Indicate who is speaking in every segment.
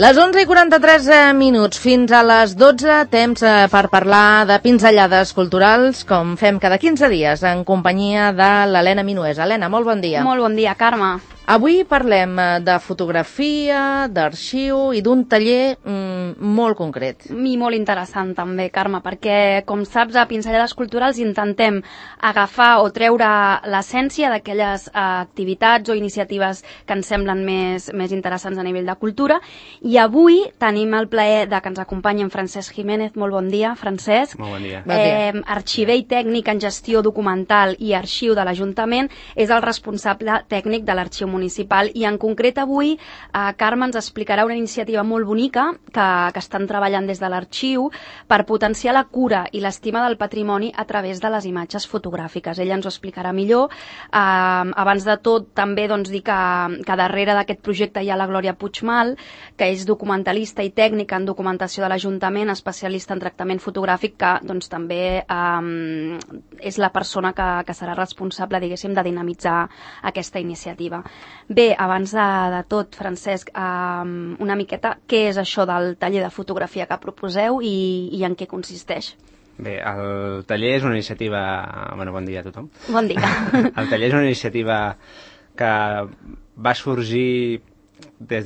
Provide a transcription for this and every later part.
Speaker 1: Les 11:43 minuts, fins a les 12, temps per parlar de pinzellades culturals, com fem cada 15 dies, en companyia de l'Helena Minués. Helena, molt bon dia.
Speaker 2: Molt bon dia, Carme.
Speaker 1: Avui parlem de fotografia, d'arxiu i d'un taller molt concret.
Speaker 2: I molt interessant també, Carme, perquè, com saps, a Pinzellades Culturals intentem agafar o treure l'essència d'aquelles activitats o iniciatives que ens semblen més interessants a nivell de cultura. I avui tenim el plaer de que ens acompanyi en Francesc Jiménez. Molt bon dia, Francesc.
Speaker 3: Molt bon dia.
Speaker 2: Arxiver i tècnic en gestió documental i arxiu de l'Ajuntament, és el responsable tècnic de l'Arxiu Municipal, i en concret avui Carme ens explicarà una iniciativa molt bonica que estan treballant des de l'arxiu per potenciar la cura i l'estima del patrimoni a través de les imatges fotogràfiques. Ella ens ho explicarà millor. Abans de tot, també dir que darrere d'aquest projecte hi ha la Glòria Puigmal, que és documentalista i tècnica en documentació de l'Ajuntament, especialista en tractament fotogràfic, que també és la persona que serà responsable, diguéssim, de dinamitzar aquesta iniciativa. Bé, abans de tot, Francesc, una miqueta, què és això del taller de fotografia que proposeu i en què consisteix?
Speaker 3: Bé, el taller és una iniciativa... bon dia a tothom.
Speaker 2: Bon dia.
Speaker 3: El taller és una iniciativa que va sorgir des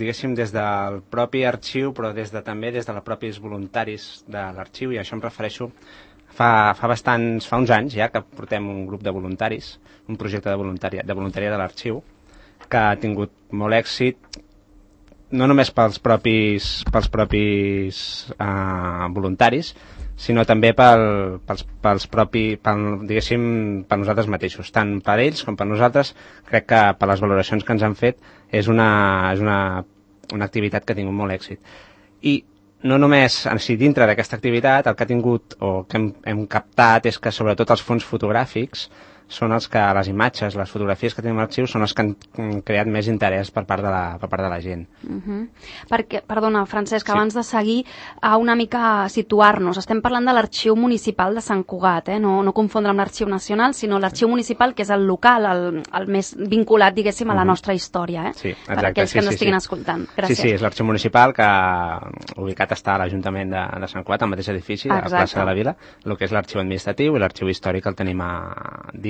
Speaker 3: del propi arxiu, però també des dels propis voluntaris de l'arxiu, i això em refereixo fa uns anys ja que portem un grup de voluntaris, un projecte de voluntariat de l'arxiu, que ha tingut molt èxit, no només pels propis voluntaris, sinó també per nosaltres mateixos. Tant per ells com per nosaltres, crec que per les valoracions que ens han fet és una activitat que ha tingut molt èxit. I no només dintre d'aquesta activitat, el que ha tingut o que hem captat és que sobretot els fons fotogràfics són els que les imatges, les fotografies que tenim a l'arxiu són els que han creat més interès per part de la gent.
Speaker 2: Perquè, perdona, Francesc, abans de seguir, una mica situar-nos. Estem parlant de l'Arxiu Municipal de Sant Cugat, no confondre amb l'Arxiu Nacional, sinó l'Arxiu Municipal, que és el local, el més vinculat, diguéssim, a la nostra història,
Speaker 3: Sí, exacte.
Speaker 2: Per aquells que ens estiguin escoltant. Gràcies.
Speaker 3: Sí, és l'Arxiu Municipal, que ubicat està a l'Ajuntament de Sant Cugat, al mateix edifici, a la plaça de la Vila, el que és l'Arxiu Administratiu i l'Arxiu Històric el tenim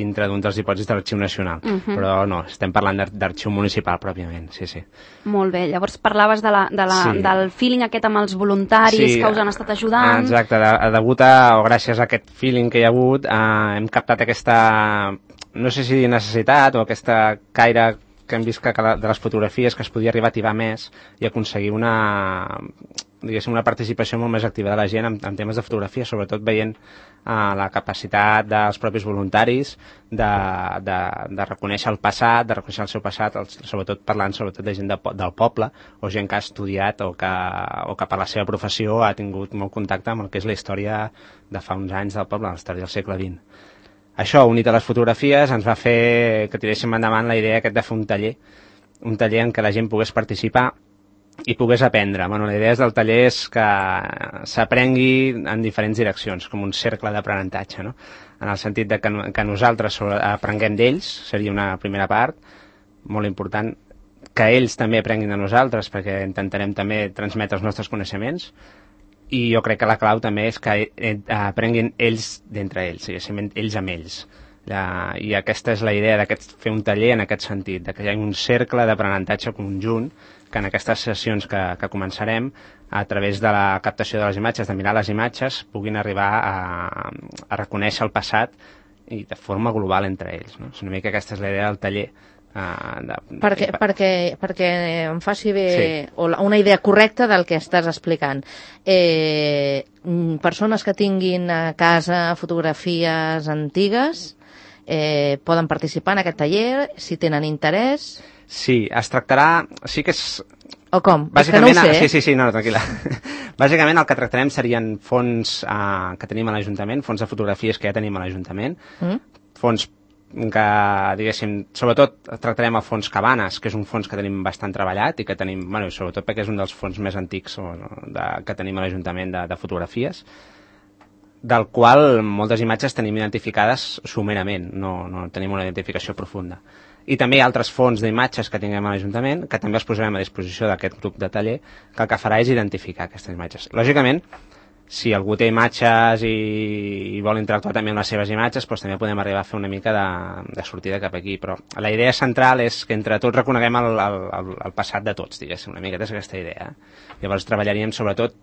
Speaker 3: dintre d'un dels dipòsits de l'Arxiu Nacional. Però no, estem parlant d'arxiu municipal pròpiament, sí.
Speaker 2: Molt bé, llavors parlaves del feeling aquest amb els voluntaris que us han estat ajudant.
Speaker 3: Exacte, gràcies a aquest feeling que hi ha hagut, hem captat aquesta, no sé si necessitat o aquesta caire que hem vist de les fotografies, que es podia arribar a tibar més i aconseguir una participació molt més activa de la gent en temes de fotografia, sobretot veient la capacitat dels propis voluntaris de reconèixer el passat, de reconèixer el seu passat, parlant sobretot de gent del poble o gent que ha estudiat o que per la seva professió ha tingut molt contacte amb el que és la història de fa uns anys del poble, la història del segle XX. Això, unit a les fotografies, ens va fer que tiréssim endavant la idea de fer un taller en què la gent pogués participar i pogués aprendre. La idea del taller és que s'aprengui en diferents direccions, com un cercle d'aprenentatge, no? En el sentit de que nosaltres aprenguem d'ells, seria una primera part, molt important, que ells també aprenguin de nosaltres, perquè intentarem també transmetre els nostres coneixements, i jo crec que la clau també és que aprenguin ells d'entre ells, ells amb ells. I aquesta és la idea de fer un taller en aquest sentit, de que hi hagi un cercle d'aprenentatge conjunt, que en aquestes sessions que començarem, a través de la captació de les imatges, de mirar les imatges, puguin arribar a reconèixer el passat i de forma global entre ells. És una mica aquesta és la idea del taller.
Speaker 1: Perquè em faci bé una idea correcta del que estàs explicant. Persones que tinguin a casa fotografies antigues poden participar en aquest taller si tenen interès.
Speaker 3: Sí, es tractarà... Sí que és...
Speaker 1: O com? És que no ho sé.
Speaker 3: Sí, no, tranquil·la. Bàsicament el que tractarem serien fons que tenim a l'Ajuntament, fons de fotografies que ja tenim a l'Ajuntament, fons que, diguéssim, sobretot tractarem el fons Cabanes, que és un fons que tenim bastant treballat i que tenim, sobretot perquè és un dels fons més antics que tenim a l'Ajuntament de fotografies, del qual moltes imatges tenim identificades somerament, no tenim una identificació profunda. I també hi ha altres fons d'imatges que tinguem a l'Ajuntament, que també els posarem a disposició d'aquest grup de taller, que el que farà és identificar aquestes imatges. Lògicament, si algú té imatges i vol interactuar també amb les seves imatges, doncs també podem arribar a fer una mica de sortida cap aquí. Però la idea central és que entre tots reconeguem el passat de tots, diguéssim, una mica és aquesta idea. Llavors treballaríem sobretot,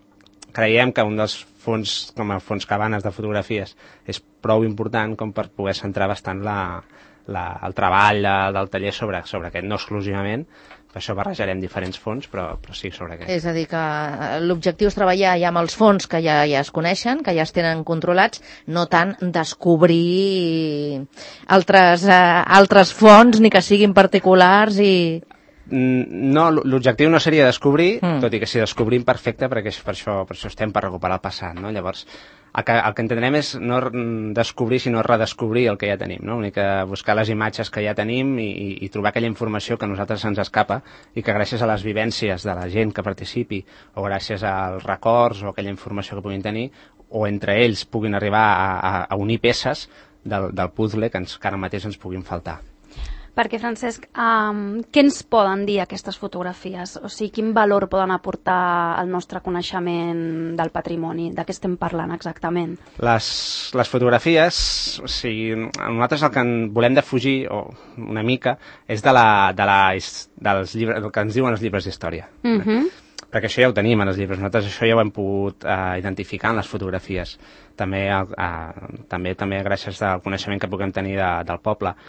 Speaker 3: creiem que un dels fons, com el fons Cabanes de fotografies, és prou important com per poder centrar bastant el treball del taller sobre aquest, no exclusivament, per això barrejarem diferents fons, però sí sobre aquest.
Speaker 1: És a dir, que l'objectiu és treballar ja amb els fons que ja es coneixen, que ja es tenen controlats, no tant descobrir altres fons, ni que siguin particulars i...
Speaker 3: No, l'objectiu no seria descobrir, tot i que si descobrim perfecte, perquè per això estem per recuperar el passat, no? Llavors, el que entendrem és no descobrir, sinó redescobrir el que ja tenim, no? Una mica buscar les imatges que ja tenim i trobar aquella informació que a nosaltres se'ns escapa i que gràcies a les vivències de la gent que participi o gràcies als records o aquella informació que puguin tenir o entre ells puguin arribar a unir peces del puzzle que ara mateix ens puguin faltar.
Speaker 2: Perquè, Francesc, què ens poden dir aquestes fotografies? O sigui, quin valor poden aportar al nostre coneixement del patrimoni? De què estem parlant exactament?
Speaker 3: Les fotografies, o sigui, nosaltres el que volem defugir, una mica, és dels llibres, del que ens diuen els llibres d'història. Perquè això ja ho tenim en els llibres, nosaltres això ja ho hem pogut identificar en les fotografies. També gràcies al coneixement que puguem tenir del poble.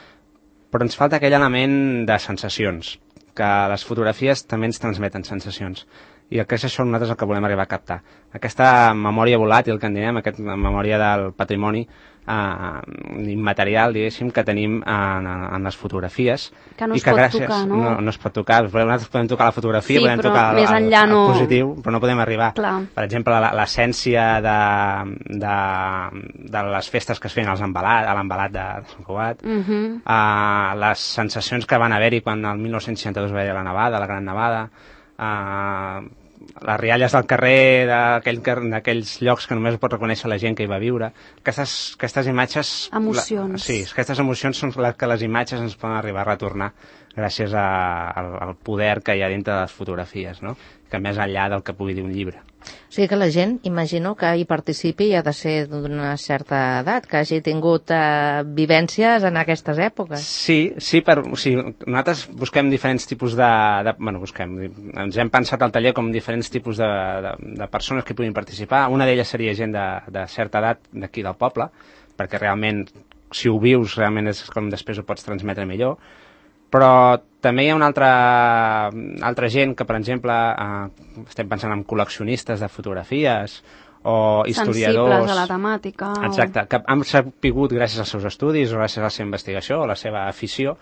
Speaker 3: Però ens falta aquell element de sensacions, que les fotografies també ens transmeten sensacions. I el que és això nosaltres el que volem arribar a captar. Aquesta memòria volàtil que en diem, aquesta memòria del patrimoni immaterial, diguéssim, que tenim en les fotografies.
Speaker 2: Que no es pot tocar, no?
Speaker 3: No es pot tocar. Nosaltres podem tocar la fotografia, podem tocar el positiu, però no podem arribar.
Speaker 2: Clar.
Speaker 3: Per exemple, l'essència de les festes que es feien a l'embalat de Sant Cugat, les sensacions que van haver-hi quan el 1962 va haver la nevada, la gran nevada, les rialles del carrer d'aquells llocs que només pot reconèixer la gent que hi va viure. Aquestes imatges...
Speaker 2: Emocions.
Speaker 3: Sí, aquestes emocions són les que les imatges ens poden arribar a retornar gràcies al poder que hi ha dintre de les fotografies, no? Que més enllà del que pugui dir un llibre.
Speaker 1: O sigui que la gent, imagino, que hi participi ha de ser d'una certa edat, que hagi tingut vivències en aquestes èpoques.
Speaker 3: Sí, nosaltres busquem diferents tipus ens hem pensat al taller com diferents tipus de persones que puguin participar. Una d'elles seria gent de certa edat d'aquí del poble, perquè realment, si ho vius, realment és com després ho pots transmetre millor. Però també hi ha una altra gent que, per exemple, estem pensant en col·leccionistes de fotografies o historiadors...
Speaker 2: Sensibles a la temàtica.
Speaker 3: Exacte, que han sapigut, gràcies als seus estudis o gràcies a la seva investigació o a la seva afició,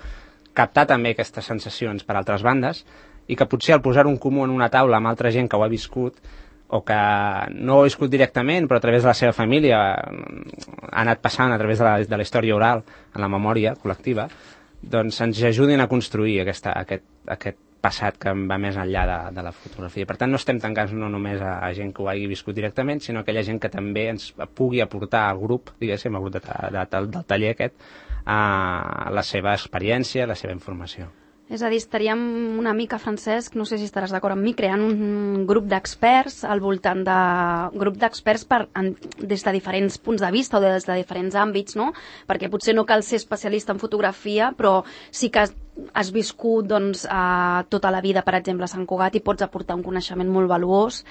Speaker 3: captar també aquestes sensacions per altres bandes i que potser al posar un comú en una taula amb altra gent que ho ha viscut o que no ho ha viscut directament, però a través de la seva família ha anat passant a través de la història oral en la memòria col·lectiva, doncs ens ajudin a construir aquest passat que va més enllà de la fotografia. Per tant, no estem tancats no només a gent que ho hagi viscut directament, sinó a aquella gent que també ens pugui aportar al grup, diguéssim, al grup del taller aquest, la seva experiència, la seva informació.
Speaker 2: És a dir, estaríem una mica, Francesc, no sé si estaràs d'acord amb mi, creant un grup d'experts al voltant grup d'experts des de diferents punts de vista o des de diferents àmbits, no? Perquè potser no cal ser especialista en fotografia, però sí que has viscut tota la vida, per exemple, a Sant Cugat i pots aportar un coneixement molt valuós.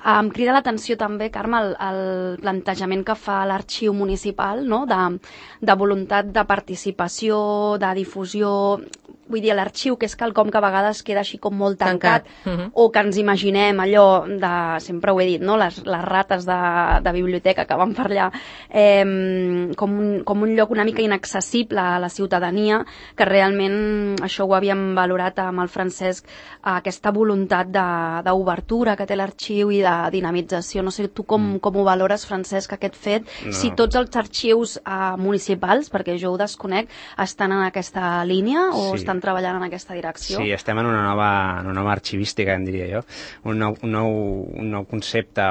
Speaker 2: Em crida l'atenció també, Carme, el plantejament que fa l'Arxiu Municipal, no? De voluntat de participació, de difusió. Vull dir, l'arxiu, que és quelcom que a vegades queda així com molt tancat. O que ens imaginem allò sempre ho he dit, no? Les rates de biblioteca que van per allà, com un lloc una mica inaccessible a la ciutadania, que realment això ho havíem valorat amb el Francesc, aquesta voluntat d'obertura que té l'arxiu i de dinamització. No sé tu com ho valores, Francesc, aquest fet, si tots els arxius municipals, perquè jo ho desconec, estan en aquesta línia o estan estan treballant en aquesta direcció.
Speaker 3: Sí, estem en una nova arxivística, em diria jo, un nou concepte.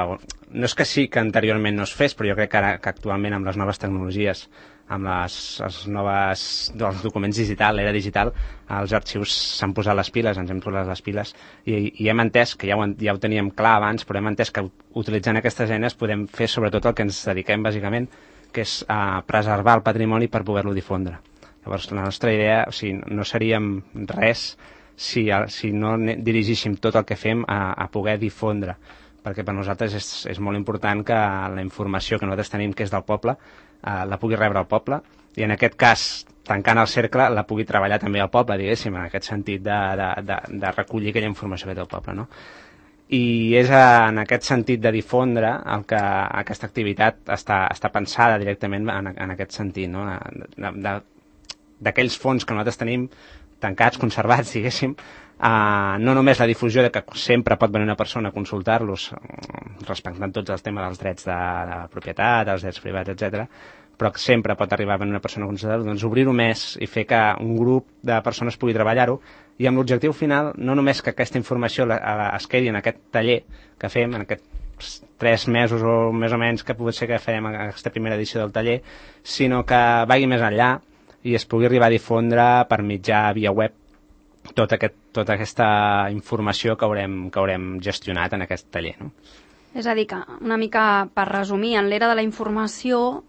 Speaker 3: No és que sí que anteriorment no es fes, però jo crec que actualment amb les noves tecnologies, amb els documents digital, l'era digital, els arxius s'han posat les piles, ens hem posat les piles i hem entès, que ja ho teníem clar abans, però hem entès que utilitzant aquestes eines podem fer sobretot el que ens dediquem bàsicament, que és a preservar el patrimoni per poder-lo difondre. Llavors la nostra idea, no seríem res si no dirigíssim tot el que fem a poder difondre, perquè per nosaltres és molt important que la informació que nosaltres tenim, que és del poble, la pugui rebre el poble, i en aquest cas, tancant el cercle, la pugui treballar també el poble, diguéssim, en aquest sentit de recollir aquella informació que té el poble, no? I és en aquest sentit de difondre el que aquesta activitat està pensada directament en aquest sentit, no? D'aquells fons que nosaltres tenim tancats, conservats, diguéssim, no només la difusió de que sempre pot venir una persona a consultar-los respectant tots els temes dels drets de propietat, els drets privats, etc., però que sempre pot arribar a venir una persona a consultar-los, doncs obrir-ho més i fer que un grup de persones pugui treballar-ho, i amb l'objectiu final no només que aquesta informació es quedi en aquest taller que fem, en aquests 3 mesos o més o menys que pot ser que farem aquesta primera edició del taller, sinó que vagi més enllà i es pugui arribar a difondre per mitjà via web tota aquesta informació que haurem gestionat en aquest taller, no?
Speaker 2: És a dir, que una mica per resumir, en l'era de la informació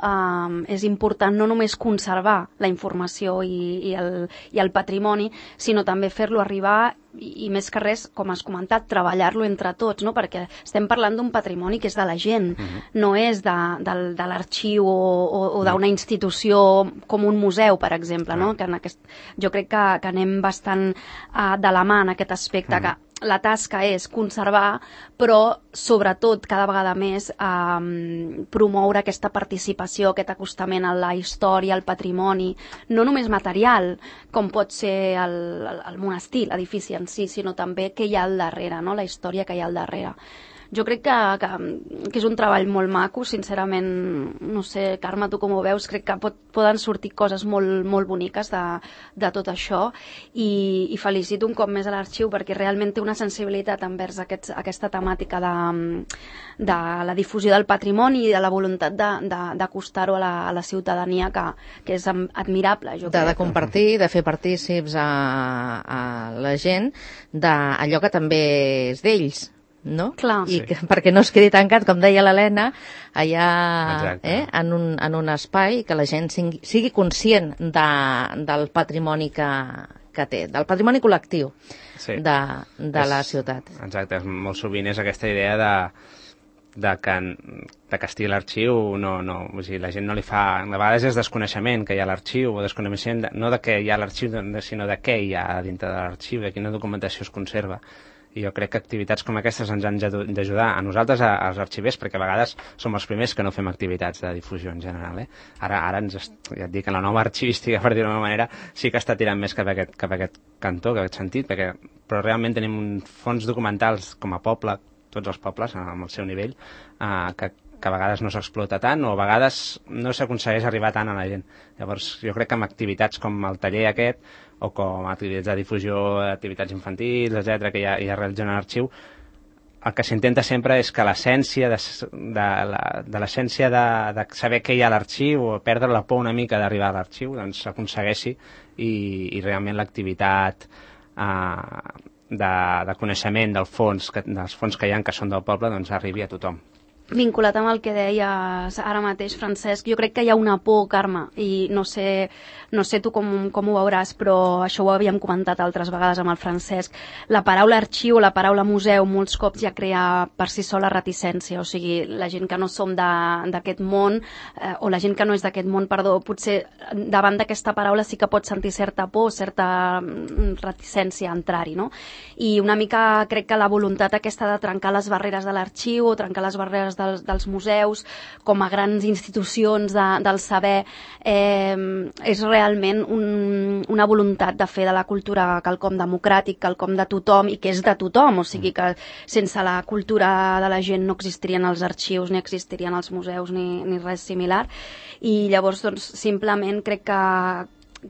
Speaker 2: és important no només conservar la informació i el patrimoni, sinó també fer-lo arribar i més que res, com has comentat, treballar-lo entre tots, no? Perquè estem parlant d'un patrimoni que és de la gent, no és de l'arxiu o d'una institució com un museu, per exemple, no? Que jo crec que anem bastant de la mà en aquest aspecte, que la tasca és conservar, però sobretot cada vegada més promoure aquesta participació, aquest acostament a la història, al patrimoni, no només material, com pot ser el monestir, l'edifici en si, sinó també què hi ha al darrere, no? La història que hi ha al darrere. Jo crec que és un treball molt maco, sincerament, no sé, Carme, tu com ho veus, crec que poden sortir coses molt, molt boniques de tot això, i felicito un cop més a l'arxiu perquè realment té una sensibilitat envers aquesta temàtica de la difusió del patrimoni i de la voluntat d'acostar-ho a la ciutadania, que és admirable, jo crec.
Speaker 1: De compartir, de fer partícips a la gent d'allò que també és d'ells, no?
Speaker 2: Clar.
Speaker 1: I perquè no es quedi tancat, com deia l'Helena, allà en un espai, que la gent sigui conscient del patrimoni que té, del patrimoni col·lectiu de la ciutat.
Speaker 3: Exacte, molt sovint és aquesta idea de que estigui l'arxiu, o sigui, la gent no li fa... A vegades és desconeixement que hi ha l'arxiu, o desconeixement no de què hi ha l'arxiu, sinó de què hi ha dintre de l'arxiu, de quina documentació es conserva. I jo crec que activitats com aquestes ens han d'ajudar a nosaltres, als arxivers, perquè a vegades som els primers que no fem activitats de difusió en general. Ara ja et dic, en la nova arxivística, per dir-ho d'una manera, sí que està tirant més cap a aquest cantó, cap a aquest sentit, però realment tenim uns fons documentals com a poble, tots els pobles, amb el seu nivell, que a vegades no s'explota tant o a vegades no s'aconsegueix arribar tant a la gent. Llavors, jo crec que amb activitats com el taller aquest, o com activitats de difusió, activitats infantils, etc., que ja realitzen a l'arxiu, el que s'intenta sempre és que l'essència de l'essència de saber què hi ha a l'arxiu o perdre la por una mica d'arribar a l'arxiu, doncs s'aconsegueixi i realment l'activitat de coneixement dels fons que hi ha, que són del poble, doncs arribi a tothom.
Speaker 2: Vinculat amb el que deies ara mateix, Francesc, jo crec que hi ha una por, Carme, i no sé tu com ho veuràs, però això ho havíem comentat altres vegades amb el Francesc. La paraula arxiu o la paraula museu molts cops ja crea per si sola reticència, o sigui, la gent que no som d'aquest món, o la gent que no és d'aquest món, perdó, potser davant d'aquesta paraula sí que pot sentir certa por, certa reticència a entrar-hi, no? I una mica crec que la voluntat aquesta de trencar les barreres de l'arxiu o trencar les barreres dels museus com a grans institucions del saber és realment una voluntat de fer de la cultura quelcom democràtic, quelcom de tothom i que és de tothom, o sigui que sense la cultura de la gent no existirien els arxius, ni existirien els museus ni res similar, i llavors doncs simplement crec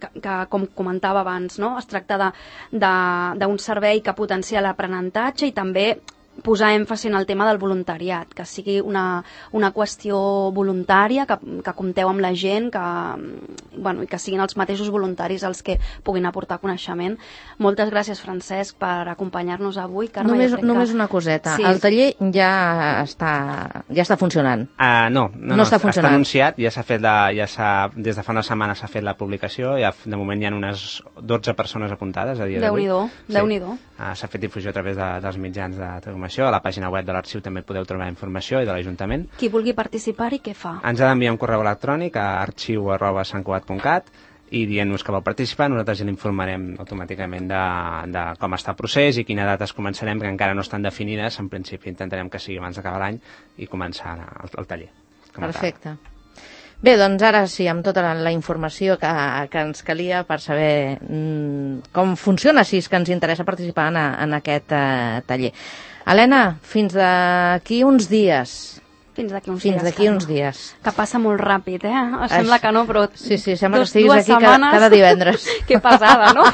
Speaker 2: que com comentava abans, no? Es tracta d'un servei que potencia l'aprenentatge i també posar èmfasi en el tema del voluntariat, que sigui una qüestió voluntària, que compteu amb la gent, i que siguin els mateixos voluntaris els que puguin aportar coneixement. Moltes gràcies, Francesc, per acompanyar-nos avui. Carme,
Speaker 1: només una coseta. Sí. El taller ja està funcionant?
Speaker 3: No, està anunciat, ja s'ha fet des de fa una setmana s'ha fet la publicació, de moment hi ha unes 12 persones apuntades a dia d'avui.
Speaker 2: Déu-n'hi-do.
Speaker 3: S'ha fet difusió a través dels mitjans de informació, a la pàgina web de l'arxiu també podeu trobar informació i de l'Ajuntament.
Speaker 2: Qui vulgui participar-hi, què fa?
Speaker 3: Ens ha d'enviar un correu electrònic a arxiu@santcugat.cat i dient-nos que vau participar, nosaltres ja l'informarem automàticament de com està el procés i quina data es començarem, que encara no estan definides. En principi intentarem que sigui abans d'acabar l'any i començar el taller.
Speaker 1: Perfecte. Bé, doncs ara sí, amb tota la informació que ens calia per saber com funciona, si és que ens interessa participar en aquest taller. Helena, fins d'aquí uns dies.
Speaker 2: Fins d'aquí uns dies. Que passa molt ràpid, Sembla que no, però...
Speaker 1: Sí, sembla que estiguis aquí cada divendres.
Speaker 2: Que pesada, no?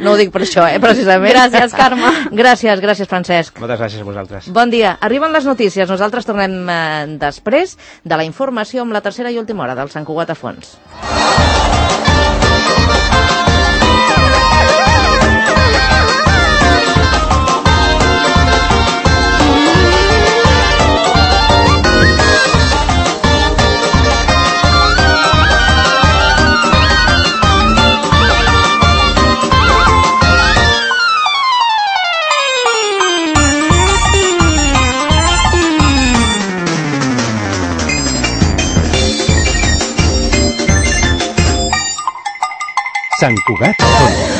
Speaker 1: No ho dic per això, precisament.
Speaker 2: Gràcies, Carme.
Speaker 1: Gràcies, Francesc.
Speaker 3: Moltes gràcies a vosaltres.
Speaker 1: Bon dia. Arriben les notícies. Nosaltres tornem després de la informació amb la tercera i última hora del Sant Cugat a fons.
Speaker 4: Sant Cugat Fons.